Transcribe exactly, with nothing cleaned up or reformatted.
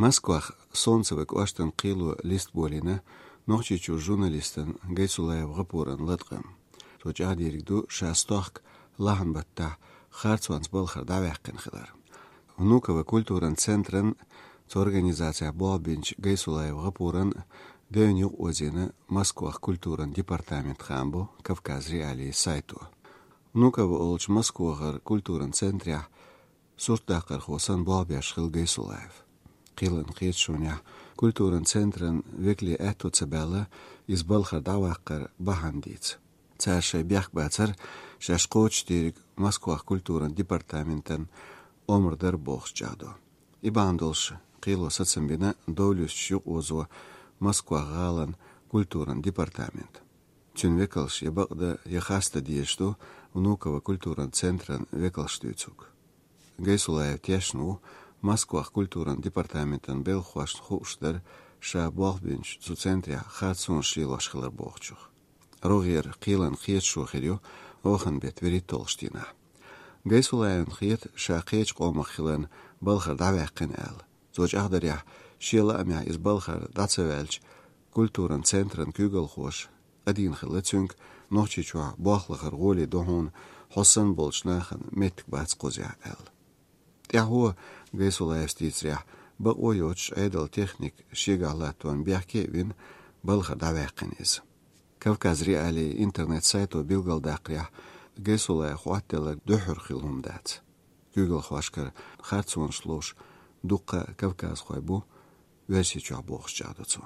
Москвах Солнцево кӀоштан кхело лист болийна Нохчийчу журналистан Гайсулаев ГӀапуран латкъам. Цо чӀагӀдийриг ду ша стохка лахьан баттахь харцонца балхара дӀаваьккхина хилар. Внуково культуран центран цу организацехь болх бинчу Гайсулаев ГӀапуран девнна юкъаозийна Москвах культуран департамент хаам бу Кавказ.Реалии сайто. Внуково олучу Москвахара культуран центрехь суртдаккхархо санна болх беш хилла Гайсулаев. Кхелан кхеташонехь культуран центран векале аьтто ца баьлла иза балхара дӀаваккхар бахьана дийца. Цара шайн бехк бацар, шаьш кхочушдийриг Москвах культуран департаментан омра дара бохуш чӀагӀдо. И бахьана долуш кхело сацам бина довлуьйсуш юкъаозо Москвах гӀалан культуран департамент. Цуьнан векалш я бакъдан, я хастам дезаш ду Внуково культуран центран векалш дуьйцург. Гайсулаев тешна ву Москвах культуран департаментан белхахошна хууш дара ша болх бинчу цу центрехь харцонаш лелош хилар бохучух. РогӀера кхелан кхеташо хир ю оханан беттан вуьрхӀитталгӀачу дийнахь. Гайсулаевна хета ша кхечу къомах хиларна балхара дӀаваьккхина аьлла. Цо чӀагӀдарехь, шен лаамехь иза балхара дӀа ца ваьлча, культуран центран куьйгалхоша къадийна хилла цуьнга, Нохчийчохь болх лахар гӀоле ду хьуна, хьо санна болчу нахана меттиг бац кхузехь аьлла. ТӀаьхьо, Гайсулаевс дийцарехь, бакъо йоцуш Ӏедалан техника шегахь латтонан бехке а вина, балхара дӀаваьккхина иза. Кавказ.Реалии интернет-сайто билгалдаккхарехь, Гайсулаев хӀоттаделларг дуьххьара хилла хӀума дац. Куьйгалхошкара харцонаш ловш дуккха а кавказхой бу Оьрсийчохь бохуш чӀагӀдо цо.